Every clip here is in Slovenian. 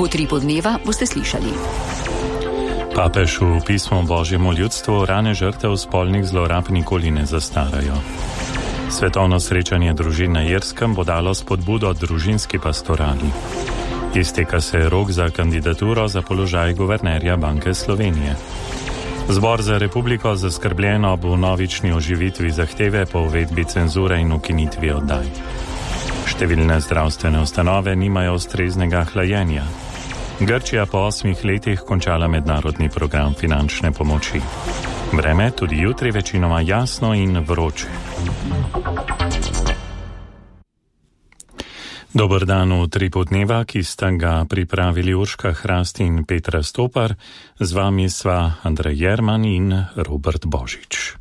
V Utripu dneva boste slišali. Papež v pismu Božjemu ljudstvu: rane žrtev spolnih zlorab nikoli ne zastarajo. Svetovno srečanje družin na Irskem bo dalo spodbudo družinski pastorali. Izteka se rok za kandidaturo za položaj guvernerja Banke Slovenije. Zbor za republiko zaskrbljeno ob vnovični oživitvi zahteve po uvedbi cenzure in ukinitvi oddaj. Številne zdravstvene ustanove nimajo ustreznega hlajenja. Grčija po 8 letih končala mednarodni program finančne pomoči. Vreme tudi jutri večinoma jasno in vroče. Dober dan v Utripu dneva, ki sta ga pripravili Urška Hrast in Petra Stopar. Z vami sva Andrej Jerman in Robert Božič.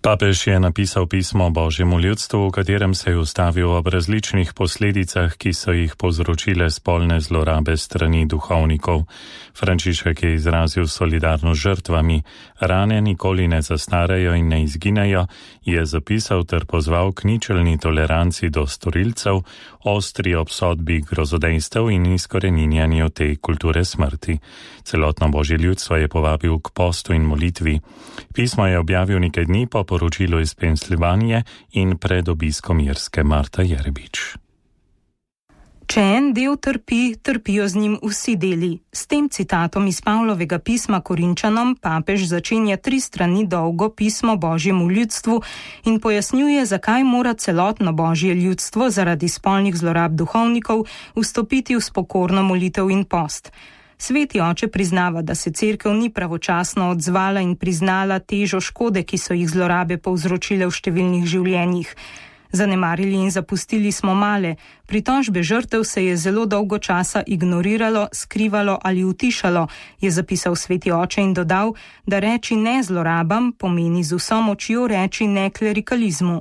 Papež je napisal pismo Božjemu ljudstvu, v katerem se je ustavil ob različnih posledicah, ki so jih povzročile spolne zlorabe strani duhovnikov. Frančišek je izrazil solidarnost žrtvami. Rane nikoli ne zastarajo in ne izginejo, je zapisal ter pozval k ničelni toleranci do storilcev, ostri obsodbi grozodejstev in izkoreninjanju te kulture smrti. Celotno Božje ljudstvo je povabil k postu in molitvi. Pismo je objavil nekaj dni po poročilu iz Pensilvanije in pred obiskom Irske Marta Jerbič. Če en del trpi, trpijo z njim vsi deli. S tem citatom iz Pavlovega pisma Korinčanom papež začenja 3 strani dolgo pismo Božjemu ljudstvu in pojasnjuje, zakaj mora celotno Božje ljudstvo zaradi spolnih zlorab duhovnikov vstopiti v spokorno molitev in post. Sveti oče priznava, da se cerkev ni pravočasno odzvala in priznala težo škode, ki so jih zlorabe povzročile v številnih življenjih. Zanemarili in zapustili smo male, pritožbe žrtev se je zelo dolgo časa ignoriralo, skrivalo ali utišalo, je zapisal sveti oče in dodal, da reči ne zlorabam pomeni z vso močjo reči ne klerikalizmu.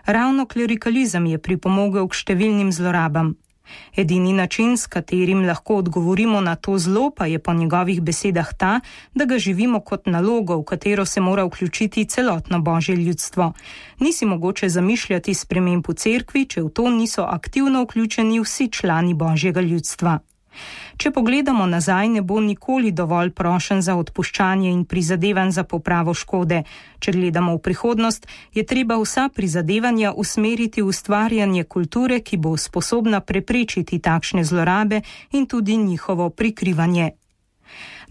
Ravno klerikalizem je pripomogel k številnim zlorabam. Edini način, s katerim lahko odgovorimo na to zlo, pa je po njegovih besedah ta, da ga živimo kot nalogo, v katero se mora vključiti celotno Božje ljudstvo. Ni si mogoče zamišljati sprememb v cerkvi, če v to niso aktivno vključeni vsi člani Božjega ljudstva. Če pogledamo nazaj, ne bo nikoli dovolj prošenj za odpuščanje in prizadevanj za popravo škode. Če gledamo v prihodnost, je treba vsa prizadevanja usmeriti v ustvarjanje kulture, ki bo sposobna preprečiti takšne zlorabe in tudi njihovo prikrivanje.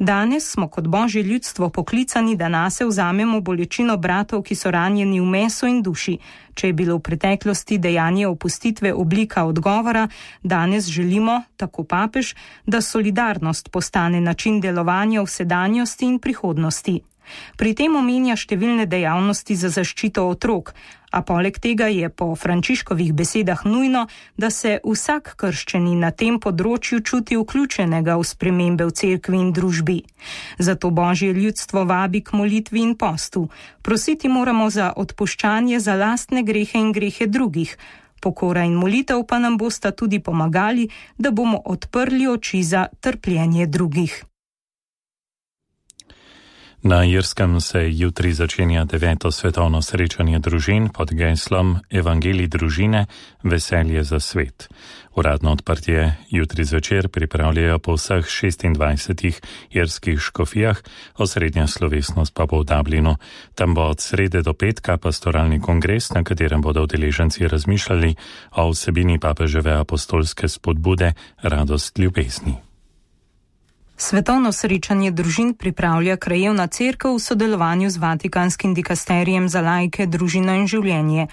Danes smo kot Božje ljudstvo poklicani, da nase vzamemo bolečino bratov, ki so ranjeni v mesu in duši. Če je bilo v preteklosti dejanje opustitve oblika odgovora, danes želimo, tako papež, da solidarnost postane način delovanja v sedanjosti in prihodnosti. Pri tem omenja številne dejavnosti za zaščito otrok, a poleg tega je po Frančiškovih besedah nujno, da se vsak krščeni na tem področju čuti vključenega v spremembe v cerkvi in družbi. Zato Božje ljudstvo vabi k molitvi in postu. Prositi moramo za odpuščanje za lastne grehe in grehe drugih. Pokora in molitev pa nam bosta tudi pomagali, da bomo odprli oči za trpljenje drugih. Na Irskem se jutri začenja 9. svetovno srečanje družin pod geslom Evangelij družine, veselje za svet. Uradno odprtje jutri zvečer pripravljajo po vseh 26 irskih škofijah, osrednja slovesnost pa bo v Dublinu. Tam bo od srede do petka pastoralni kongres, na katerem bodo udeleženci razmišljali o vsebini papeževe apostolske spodbude Radost ljubezni. Svetovno srečanje družin pripravlja krajevna cerkev v sodelovanju z Vatikanskim dikasterijem za laike, družino in življenje.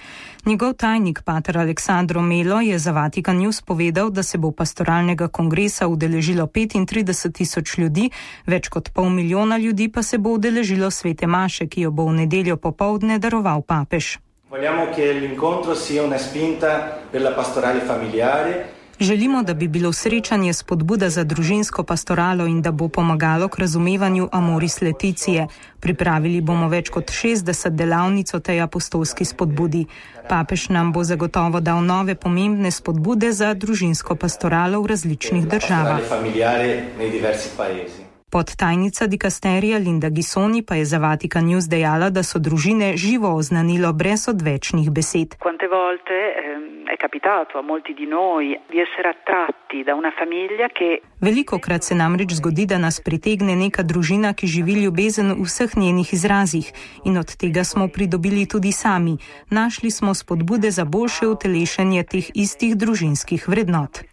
Njegov tajnik, pater Aleksandro Melo, je za Vatikan News povedal, da se bo pastoralnega kongresa udeležilo 35.000 ljudi, več kot 500.000 ljudi pa se bo udeležilo svete maše, ki jo bo v nedeljo popoldne daroval papež. Vogliamo che l'incontro sia una spinta per la pastorale familiare. Želimo, da bi bilo srečanje spodbuda za družinsko pastoralo in da bo pomagalo k razumevanju Amoris Laetitia. Pripravili bomo več kot 60 delavnic o tej apostolski spodbudi. Papež nam bo zagotovo dal nove pomembne spodbude za družinsko pastoralo v različnih državah. Podtajnica dikasterija Linda Ghissoni pa je za Vatican News dejala, da so družine živo oznanilo brez odvečnih besed. Quante volte è capitato a molti di noi di essere attratti da una famiglia che... Velikokrat se namreč zgodi, da nas pritegne neka družina, ki živi ljubezen v vseh njenih izrazih, in od tega smo pridobili tudi sami. Našli smo spodbude za boljše utelešenje teh istih družinskih vrednot.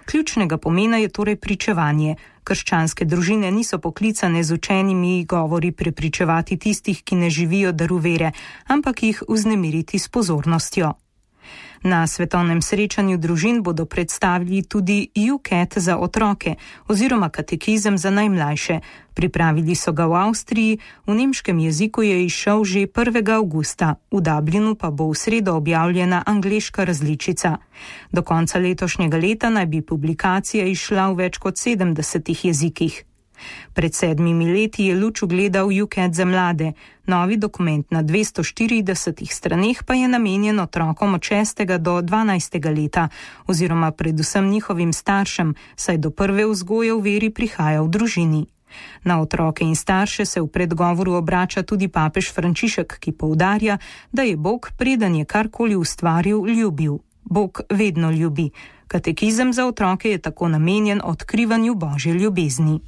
Ključnega pomena je torej pričevanje. Krščanske družine niso poklicane z učenimi govori prepričevati tistih, ki ne živijo daru vere, ampak jih vznemiriti s pozornostjo. Na svetovnem srečanju družin bodo predstavili tudi UCAT za otroke oziroma katekizem za najmlajše. Pripravili so ga v Avstriji, v nemškem jeziku je izšel že 1. avgusta, v Dublinu pa bo v sredo objavljena angleška različica. Do konca letošnjega leta naj bi publikacija izšla v več kot 70 jezikih. Pred 7 leti je luč ugledal UCAT za mlade. Novi dokument na 240 straneh pa je namenjen otrokom od 6. do 12. leta oziroma predvsem njihovim staršem, saj do prve vzgoje v veri prihaja v družini. Na otroke in starše se v predgovoru obrača tudi papež Frančišek, ki poudarja, da je Bog, preden je karkoli ustvaril, ljubil. Bog vedno ljubi. Katekizem za otroke je tako namenjen odkrivanju Božje ljubezni.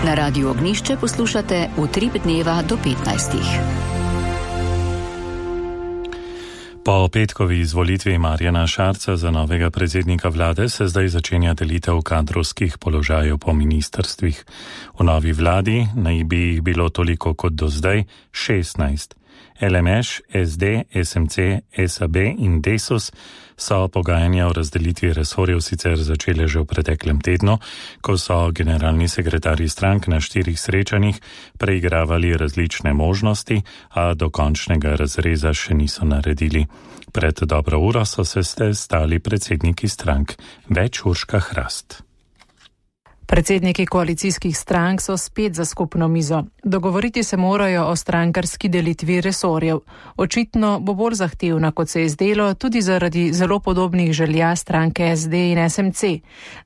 Na Radiu Ognjišče poslušate Utrip dneva do 15. Po petkovi izvolitvi Marjana Šarca za novega predsednika vlade se zdaj začenja delitev kadrovskih položajev po ministrstvih. V novi vladi naj bi jih bilo toliko kot do zdaj 16. LMŠ, SD, SMC, SAB in Desus so pogajanja o razdelitvi resorjev sicer začele že v preteklem tednu, ko so generalni sekretarji strank na 4 srečanjih preigravali različne možnosti, a do končnega razreza še niso naredili. Pred dobro uro so se stali predsedniki strank. Več Urška Hrast. Predsedniki koalicijskih strank so spet za skupno mizo. Dogovoriti se morajo o strankarski delitvi resorjev. Očitno bo bolj zahtevna, kot se je zdelo, tudi zaradi zelo podobnih želja stranke SD in SMC.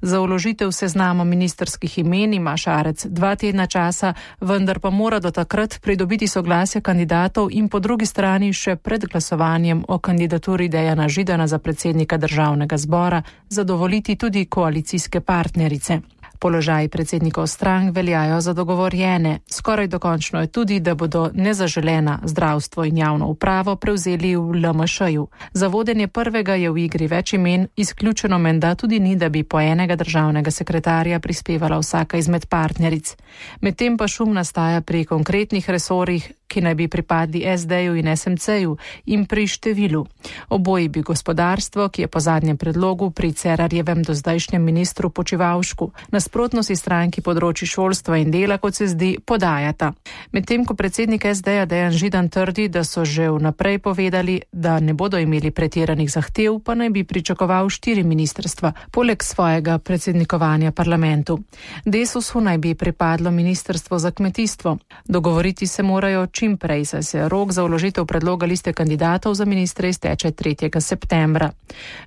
Za vložitev seznama ministrskih imen ima Šarec 2 tedna časa, vendar pa mora do takrat pridobiti soglasje kandidatov in po drugi strani še pred glasovanjem o kandidaturi Dejana Židana za predsednika Državnega zbora zadovoljiti tudi koalicijske partnerice. Položaji predsednikov strank veljajo za dogovorjene. Skoraj dokončno je tudi, da bodo nezaželena zdravstvo in javno upravo prevzeli v LMŠ-ju. Za vodenje prvega je v igri več imen, izključeno menda tudi ni, da bi po enega državnega sekretarja prispevala vsaka izmed partneric. Medtem pa šum nastaja pri konkretnih resorjih, ki naj bi pripadli SD-ju in SMC-ju in pri številu. Oboji bi gospodarstvo, ki je po zadnjem predlogu pri Cerarjevem dozdajšnjem ministru Počivalšku, nasprotnosti stranki področji šolstva in dela, kot se zdi, podajata. Medtem ko predsednik SD-ja Dejan Židan trdi, da so že vnaprej povedali, da ne bodo imeli pretiranih zahtev, pa naj bi pričakoval 4 ministrstva, poleg svojega predsednikovanja parlamentu. Desusu naj bi pripadlo ministrstvo za kmetijstvo. Dogovoriti se morajo čim prej, saj se rok za vložitev predloga liste kandidatov za ministre izteče 3. septembra.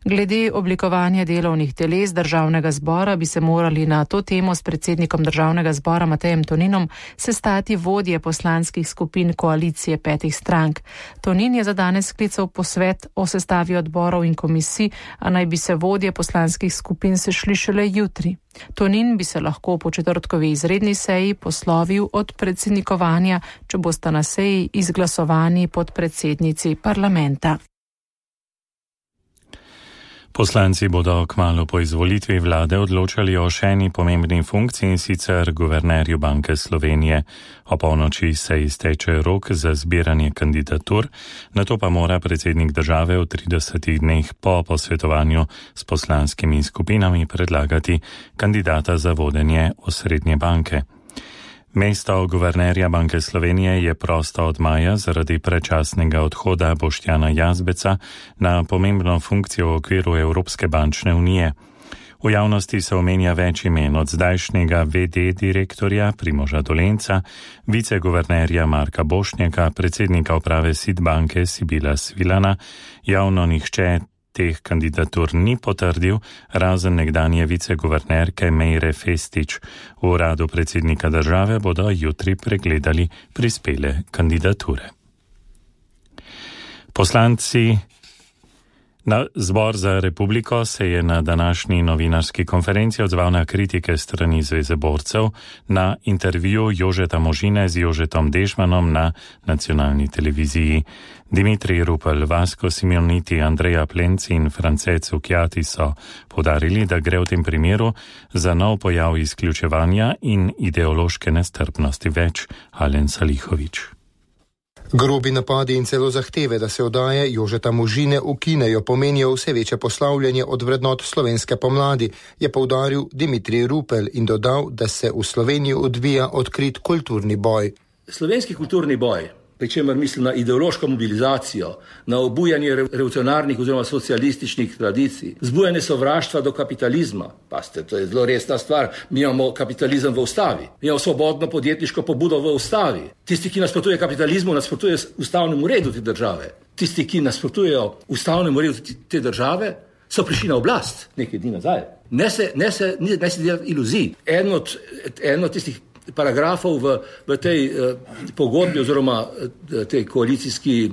Glede oblikovanja delovnih teles Državnega zbora bi se morali na to temo s predsednikom Državnega zbora Matejem Toninom sestati vodje poslanskih skupin koalicije 5 strank. Tonin je za danes sklical posvet o sestavi odborov in komisij, a naj bi se vodje poslanskih skupin sešli šele jutri. Tonin bi se lahko po četrtkovi izredni seji poslovil od predsednikovanja, če bosta na seji izglasovani podpredsednici parlamenta. Poslanci bodo kmalu po izvolitvi vlade odločali o še eni pomembni funkciji, in sicer guvernerju Banke Slovenije. O polnoči se izteče rok za zbiranje kandidatur, nato pa mora predsednik države v 30 dneh po posvetovanju s poslanskimi skupinami predlagati kandidata za vodenje osrednje banke. Mesto guvernerja Banke Slovenije je prosto od maja zaradi predčasnega odhoda Boštjana Jazbeca na pomembno funkcijo v okviru Evropske bančne unije. V javnosti se omenja več imen, od zdajšnjega VD direktorja Primoža Dolenca, viceguvernerja Marka Bošnjaka, predsednika uprave SID banke Sibila Svilana. Javno nihče teh kandidatur ni potrdil, razen nekdanje viceguvernerke Mejre Festić. V uradu predsednika države bodo jutri pregledali prispele kandidature. Poslanci na Zbor za republiko se je na današnji novinarski konferenci odzval na kritike strani Zveze borcev na intervju Jožeta Možine z Jožetom Dežmanom na nacionalni televiziji. Dimitrij Rupel, Vasko Simoniti, Andreja Plenci in France Cukjati so poudarili, da gre v tem primeru za nov pojav izključevanja in ideološke nestrpnosti. Več Alen Salihović. Grobi napadi in celo zahteve, da se oddaje Jožeta Možine ukinejo, pomenijo vse večje poslavljanje od vrednot slovenske pomladi, je poudaril Dimitrij Rupel in dodal, da se v Sloveniji odvija odkrit kulturni boj. Slovenski kulturni boj, pri čemer mislim na ideološko mobilizacijo, na obujanje revolucionarnih oziroma socialističnih tradicij, zbujanje sovraštva do kapitalizma. Paste, to je zelo resna stvar. Mi imamo kapitalizem v ustavi. Mi imamo svobodno podjetniško pobudo v ustavi. Tisti, ki nasprotuje kapitalizmu, nasprotuje ustavnemu redu te države. Tisti, ki nasprotujejo ustavnemu redu te države, so prišli na oblast nekaj dni nazaj. Ne se delati iluzij. Eno od tistih paragrafov v tej pogodbi oziroma tej koalicijski,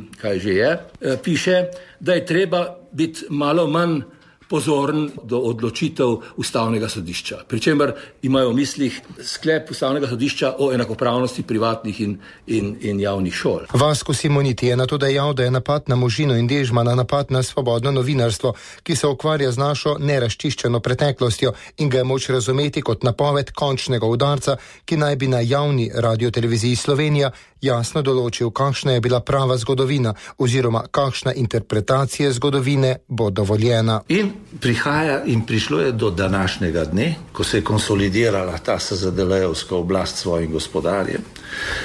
piše, da je treba biti malo manj pozoren do odločitev ustavnega sodišča. Pričemer imajo v mislih sklep ustavnega sodišča o enakopravnosti privatnih in javnih šol. Vasko Simoniti je nato dejal, da je napad na Možino in Dežmana napad na svobodno novinarstvo, ki se ukvarja z našo nerazčiščeno preteklostjo in ga je moč razumeti kot napoved končnega udarca, ki naj bi na javni radioteleviziji Slovenija jasno določil, kakšna je bila prava zgodovina oziroma kakšna interpretacija zgodovine bo dovoljena. In prihaja in prišlo je do današnjega dne, ko se je konsolidirala ta SZDL-jevska oblast s svojim gospodarjem,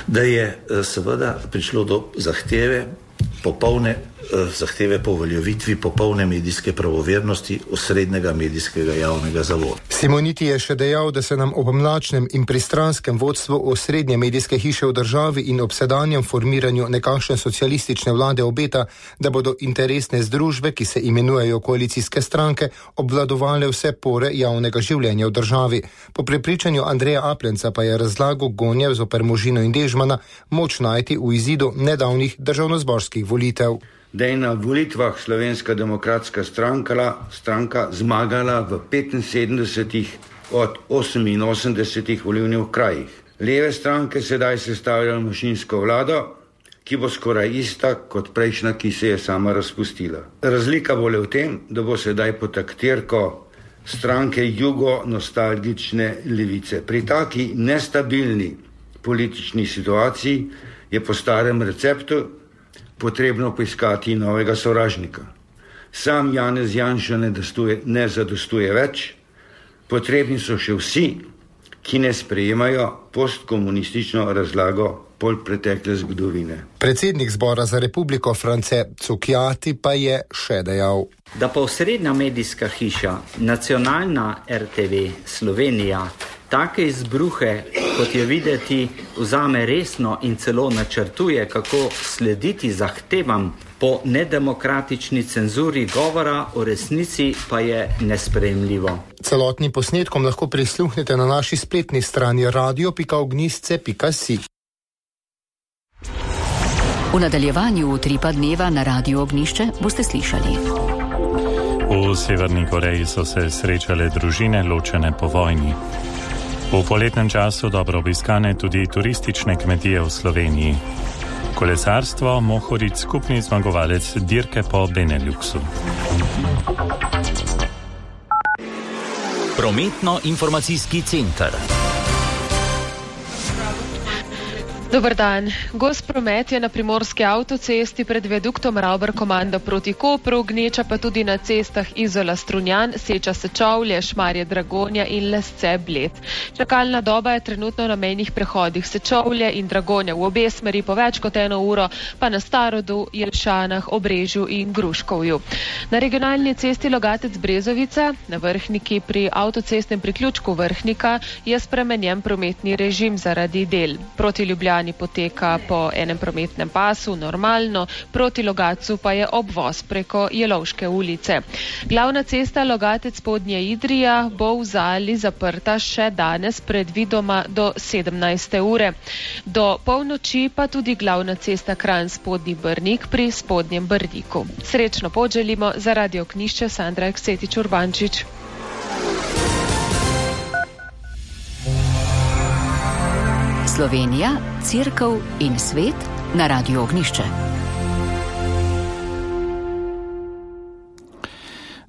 da je seveda prišlo do zahteve po uveljavitvi popolne medijske pravovernosti osrednjega medijskega javnega zavoda. Simoniti je še dejal, da se nam ob mlačnem in pristranskem vodstvu osrednje medijske hiše v državi in ob sedanjem formiranju nekakšne socialistične vlade obeta, da bodo interesne združbe, ki se imenujejo koalicijske stranke, obvladovale vse pore javnega življenja v državi. Po prepričanju Andreja Aplenca pa je razlago gonje zoper Možino in Dežmana moč najti v izidu nedavnih državnozborskih volitev. Da je na volitvah Slovenska demokratska stranka zmagala v 75 od 88 volilnih krajih. Leve stranke sedaj sestavljajo manjšinsko vlado, ki bo skoraj ista kot prejšnja, ki se je sama razpustila. Razlika bo le v tem, da bo sedaj pod taktirko stranke jugo-nostalgične levice. Pri taki nestabilni politični situaciji je po starem receptu potrebno poiskati novega sovražnika. Sam Janez Janša ne zadostuje več, potrebni so še vsi, ki ne sprejemajo postkomunistično razlago polpretekle zgodovine. Predsednik Zbora za republiko France Cukjati pa je še dejal, da pa osrednja medijska hiša, nacionalna RTV Slovenija, take izbruhe, kot je videti, vzame resno in celo načrtuje, kako slediti zahtevam po nedemokratični cenzuri govora, o resnici pa je nesprejemljivo. Celotnim posnetkom lahko prisluhnete na naši spletni strani radio.ognjišče.si. V nadaljevanju Utripa dneva na Radiu Ognjišče boste slišali. V Severni Koreji so se srečale družine ločene po vojni. V poletnem času dobro obiskane tudi turistične kmetije v Sloveniji. Kolesarstvo Mohorič skupni zmagovalec dirke po Beneluxu. Prometno-informacijski center. Dober dan. Gost promet je na primorski avtocesti pred viaduktom Ravbar-Komanda proti Kopru, gneča pa tudi na cestah Izola-Strunjan, Seča-Sečovlje, Šmarje-Dragonja in Lesce-Bled. Čakalna doba je trenutno na mejnih prehodih Sečovlje in Dragonja v obe smeri po več kot 1 uro, pa na Starodu, Jelšanah, Obrežju in Gruškovju. Na regionalni cesti Logatec-Brezovica, na Vrhniki pri avtocestnem priključku Vrhnika, je spremenjen prometni režim zaradi del. Proti Ljubljani potovanje poteka po enem prometnem pasu normalno, proti Logatcu pa je obvoz preko Jelovške ulice. Glavna cesta Logatec-Spodnja Idrija bo v Zali zaprta še danes, predvidoma do 17. ure. Do polnoči pa tudi glavna cesta Kranj-Spodnji Brnik pri Spodnjem Brniku. Srečno pot želimo za Radio Ognišče Sandra Eksetič-Urbančič. Slovenija, Cerkev in svet na Radio Ognišče.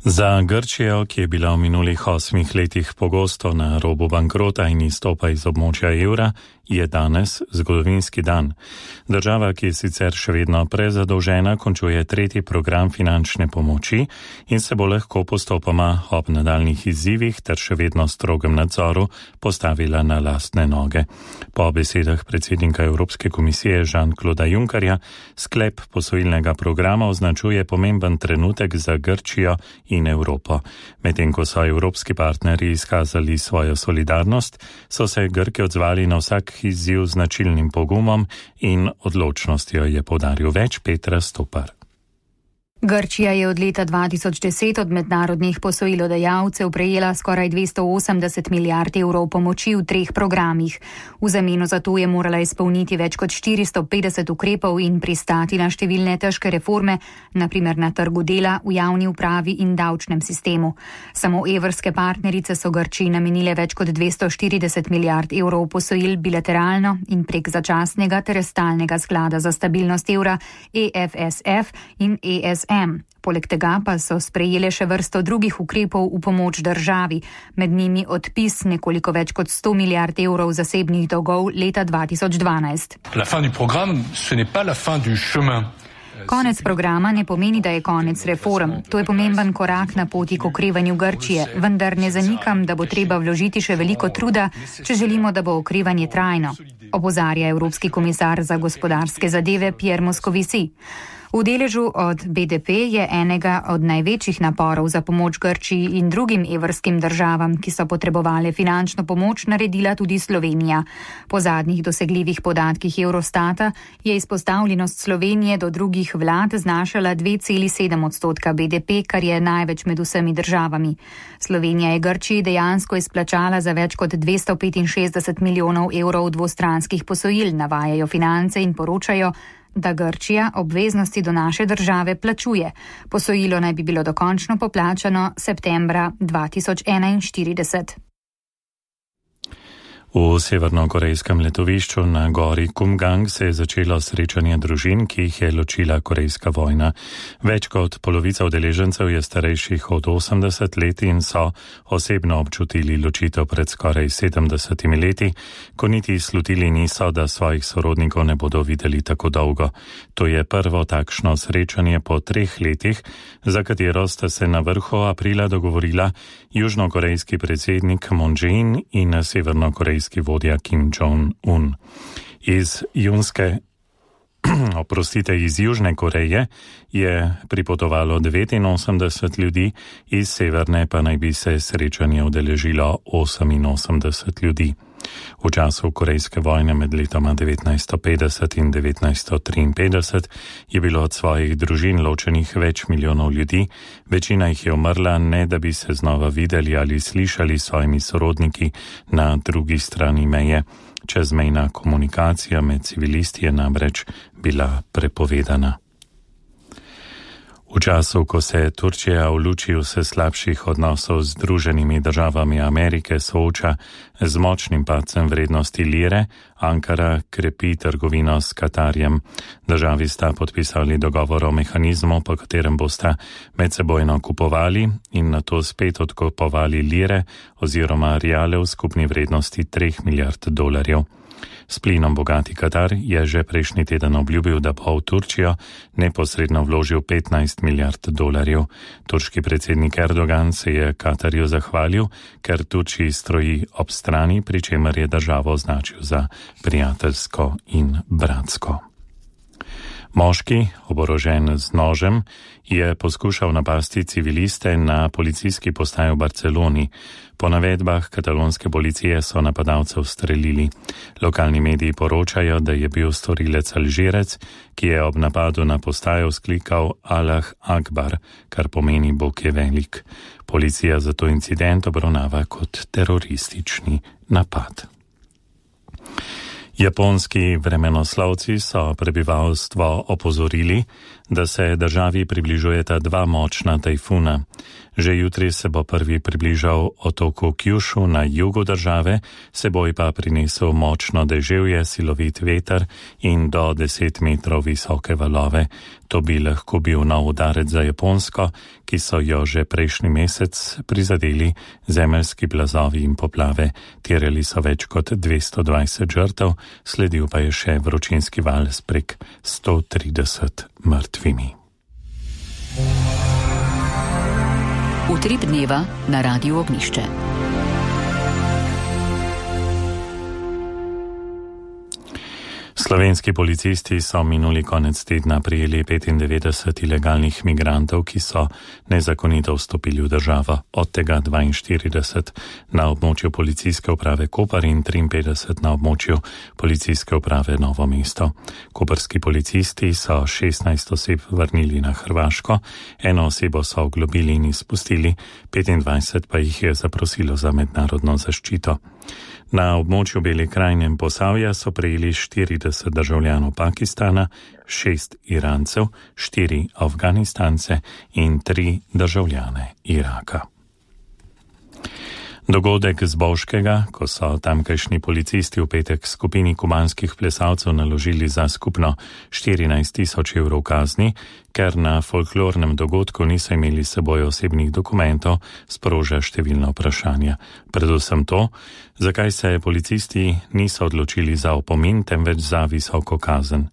Za Grčijo, ki je bila v minulih 8 letih pogosto na robu bankrota in izstopa iz območja evra, je danes zgodovinski dan. Država, ki je sicer še vedno prezadolžena, končuje 3. program finančne pomoči in se bo lahko postopoma ob nadaljnih izzivih ter še vedno strogem nadzoru postavila na lastne noge. Po besedah predsednika Evropske komisije Jean-Clauda Junckerja, sklep posojilnega programa označuje pomemben trenutek za Grčijo in Evropo. Medtem ko so evropski partnerji izkazali svojo solidarnost, so se Grki odzvali na vsak izziv z značilnim pogumom in odločnostjo, je poudaril več Petra Stopar. Grčija je od leta 2010 od mednarodnih posojilodajalcev prejela skoraj 280 milijard evrov pomoči v 3 programih. V zameno za to je morala izpolniti več kot 450 ukrepov in pristati na številne težke reforme, naprimer na trgu dela, v javni upravi in davčnem sistemu. Samo evrske partnerice so Grčiji namenile več kot 240 milijard evrov posojil bilateralno in prek začasnega ter stalnega sklada za stabilnost evra EFSF in ESM. Poleg tega pa so sprejele še vrsto drugih ukrepov v pomoč državi, med njimi odpis nekoliko več kot 100 milijard evrov zasebnih dolgov leta 2012. Konec programa ne pomeni, da je konec reform. To je pomemben korak na poti k okrevanju Grčije, vendar ne zanikam, da bo treba vložiti še veliko truda, če želimo, da bo okrevanje trajno, opozarja Evropski komisar za gospodarske zadeve Pierre Moscovici. V deležu od BDP je enega od največjih naporov za pomoč Grčiji in drugim evrskim državam, ki so potrebovali finančno pomoč, naredila tudi Slovenija. Po zadnjih dosegljivih podatkih Eurostata je izpostavljenost Slovenije do drugih vlad znašala 2,7% BDP, kar je največ med vsemi državami. Slovenija je Grčiji dejansko izplačala za več kot 265 milijonov evrov dvostranskih posojil, navajajo Finance in poročajo, da Grčija obveznosti do naše države plačuje. Posojilo naj bi bilo dokončno poplačano septembra 2041. V severnokorejskem letovišču na gori Kumgang se je začelo srečanje družin, ki jih je ločila korejska vojna. Več kot polovica udeležencev je starejših od 80 let in so osebno občutili ločitev pred skoraj 70 leti, ko niti slutili niso, da svojih sorodnikov ne bodo videli tako dolgo. To je prvo takšno srečanje po 3 letih, za katero sta se na vrhu aprila dogovorila južnokorejski predsednik Moon Jae-in in severnokorejski vodja Kim Jong-un. Iz Južne Koreje je pripotovalo 89 ljudi, iz severne pa naj bi se srečanje udeležilo 88 ljudi. V času korejske vojne med letoma 1950 in 1953 je bilo od svojih družin ločenih več milijonov ljudi, večina jih je umrla, ne da bi se znova videli ali slišali s svojimi sorodniki na drugi strani meje. Čezmejna komunikacija med civilisti je namreč bila prepovedana. V času, ko se Turčija v luči vse slabših odnosov z Združenimi državami Amerike sooča z močnim padcem vrednosti lire, Ankara krepi trgovino s Katarjem. Državi sta podpisali dogovor o mehanizmu, po katerem bosta medsebojno kupovali in nato spet odkupovali lire oziroma riale v skupni vrednosti $3 milijard. S plinom bogati Katar je že prejšnji teden obljubil, da bo v Turčijo neposredno vložil $15 milijard. Turški predsednik Erdogan se je Katarju zahvalil, ker Turčiji stroji ob strani, pri čemer je državo označil za prijateljsko in bratsko. Moški, oborožen z nožem, je poskušal napasti civiliste na policijski postaji v Barceloni. Po navedbah katalonske policije so napadalcev ustrelili. Lokalni mediji poročajo, da je bil storilec Alžirec, ki je ob napadu na postajo vzklikal Allah Akbar, kar pomeni Bog je velik. Policija zato incident obravnava kot teroristični napad. Japonski vremenoslovci so prebivalstvo opozorili, da se državi približujeta dva močna tajfuna. Že jutri se bo prvi približal otoku Kyushu na jugu države, seboj pa prinesel močno deževje, silovit veter in do 10 metrov visoke valove. To bi lahko bil nov udarec za Japonsko, ki so jo že prejšnji mesec prizadeli zemeljski plazovi in poplave. Terjali so več kot 220 žrtev, sledil pa je še vročinski val s prek 130 mrtvimi. Utrip dneva na Radiu Ognišče. Slovenski policisti so minuli konec tedna prijeli 95 ilegalnih migrantov, ki so nezakonito vstopili v državo, od tega 42 na območju policijske uprave Koper in 53 na območju policijske uprave Novo mesto. Koperski policisti so 16 oseb vrnili na Hrvaško, eno osebo so oglobili in izpustili, 25 pa jih je zaprosilo za mednarodno zaščito. Na območju Bele krajine in Posavja so prejeli 40 državljanov Pakistana, 6 Irancev, 4 Afganistance in 3 državljane Iraka. Dogodek z Bovškega, ko so tamkajšnji policisti v petek skupini kubanskih plesalcev naložili za skupno 14.000 evrov kazni, ker na folklornem dogodku niso imeli s seboj osebnih dokumentov, sproža številna vprašanja. Predvsem to, zakaj se policisti niso odločili za opomin, temveč za visoko kazen.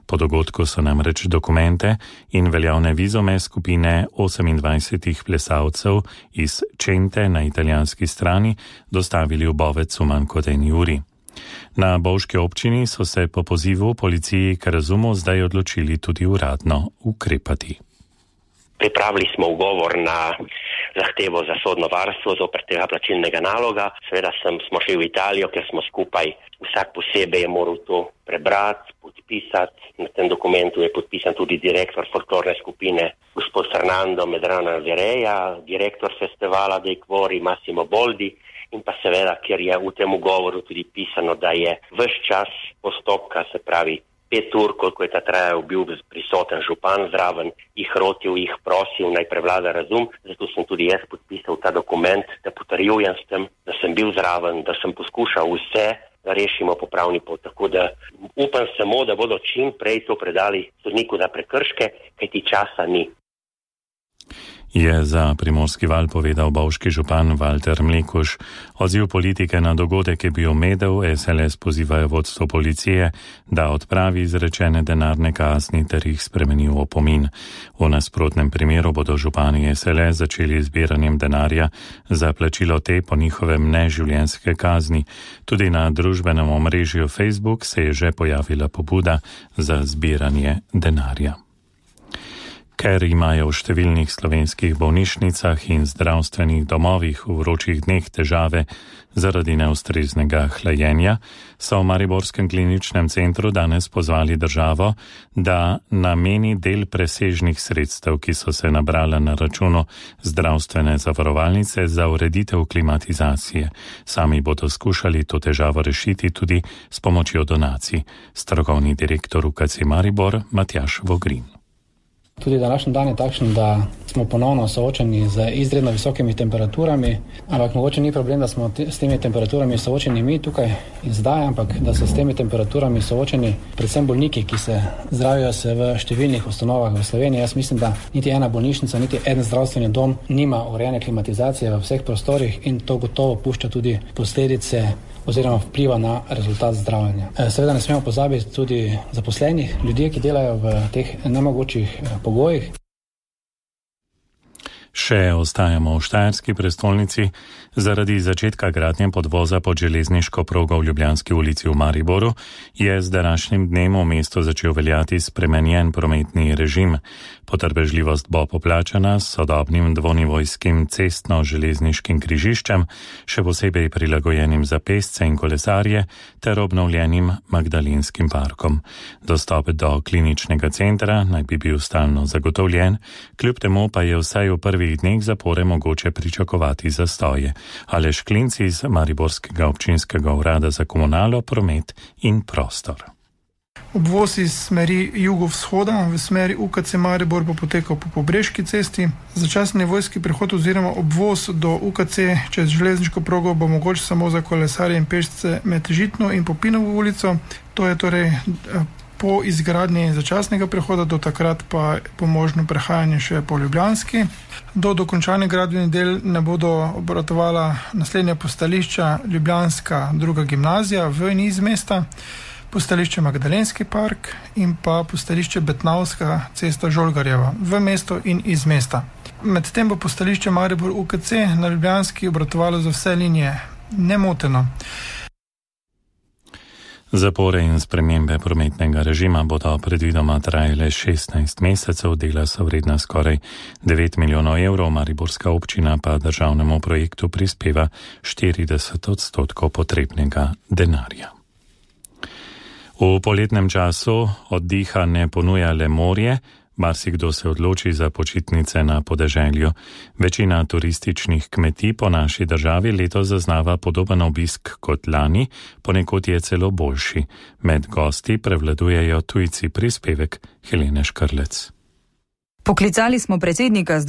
Po dogodku so namreč dokumente in veljavne vizume skupine 28 plesalcev iz Čente na italijanski strani dostavili v Bovec v manj kot 1 uri. Na bovški občini so se po pozivu policiji k razumu zdaj odločili tudi uradno ukrepati. Pripravili smo ugovor na zahtevo za sodno varstvo zoper tega plačilnega naloga. Seveda smo šli v Italijo, ker smo skupaj, vsak posebej je moral to prebrati, podpisati. Na tem dokumentu je podpisan tudi direktor folklorne skupine, gospod Fernando Medrano Vereja, direktor festivala Dei Cuori Massimo Boldi in pa seveda, ker je v tem ugovoru tudi pisano, da je ves čas postopka, se pravi 5 ur, koliko je ta trajal, bil prisoten župan zraven, jih rotil, jih prosil, naj prevlada razum. Zato sem tudi jaz podpisal ta dokument, da potrjujem s tem, da sem bil zraven, da sem poskušal vse, da rešimo po pravni pot. Tako da upam samo, da bodo čim prej to predali sodniku za prekrške, kajti časa ni. Je za Primorski val povedal bovški župan Valter Mlekuš. Odziv politike na dogodek je bil medel, SLS pozivajo vodstvo policije, da odpravi izrečene denarne kazni ter jih spremeni v opomin. V nasprotnem primeru bodo župani SLS začeli zbiranjem denarja za plačilo te po njihovem neživljenjske kazni. Tudi na družbenem omrežju Facebook se je že pojavila pobuda za zbiranje denarja. Ker imajo v številnih slovenskih bolnišnicah in zdravstvenih domovih v vročih dneh težave zaradi neustreznega hlajenja, so v Mariborskem kliničnem centru danes pozvali državo, da nameni del presežnih sredstev, ki so se nabrala na računu zdravstvene zavarovalnice za ureditev klimatizacije. Sami bodo skušali to težavo rešiti tudi s pomočjo donacij. Strokovni direktor UKC Maribor Matjaž Vogrin. Tudi današnji dan je takšen, da smo ponovno soočeni z izredno visokimi temperaturami, ampak mogoče ni problem, da smo s temi temperaturami soočeni mi tukaj in zdaj, ampak da so s temi temperaturami soočeni predvsem bolniki, ki se zdravijo se v številnih ustanovah v Sloveniji. Jaz mislim, da niti ena bolnišnica, niti en zdravstveni dom nima urejene klimatizacije v vseh prostorih in to gotovo pušča tudi posledice oziroma vpliva na rezultat zdravljenja. Seveda ne smemo pozabiti tudi zaposlenih, ljudje, ki delajo v teh nemogočih pogojih. Še ostajamo v štajerski prestolnici. Zaradi začetka gradnje podvoza pod železniško progo v Ljubljanski ulici v Mariboru je z današnjim dnem v mestu začel veljati spremenjen prometni režim. Potrpežljivost bo poplačana s sodobnim dvonivojskim cestno-železniškim križiščem, še posebej prilagojenim za pešce in kolesarje ter obnovljenim Magdalenskim parkom. Dostop do kliničnega centra naj bi bil stalno zagotovljen, kljub temu pa je vsaj v prvih dneh zapore mogoče pričakovati zastoje. Aleš Klinc iz Mariborskega občinskega urada za komunalo, promet in prostor. Obvoz iz smeri jugovzhoda v smeri UKC Maribor bo potekal po Pobreški cesti. Začasni nevojski prehod oziroma obvoz do UKC čez železniško progo bo mogoč samo za kolesarje in pešce med Žitno in Popinovo ulico. To je torej po izgradnji začasnega prehoda, do takrat pa bo možno prehajanje še po Ljubljanski. Do dokončanja gradbenih del ne bodo obratovala naslednja postališča Ljubljanska druga gimnazija v in iz mesta, postališče Magdalenski park in pa postališče Betnavska cesta Žolgarjeva v mesto in iz mesta. Medtem bo postališče Maribor UKC na Ljubljanski obratovalo za vse linije nemoteno. Zapore in spremembe prometnega režima bodo predvidoma trajale 16 mesecev, dela so vredna skoraj 9 milijonov evrov, mariborska občina pa državnemu projektu prispeva 40% potrebnega denarja. V poletnem času oddiha ne ponuja le morje, marsikdo se odloči za počitnice na podeželju. Večina turističnih kmetij po naši državi letos zaznava podoben obisk kot lani, ponekod je celo boljši. Med gosti prevladujejo tujci, prispevek Helene Škrlec. Poklicali smo predsednika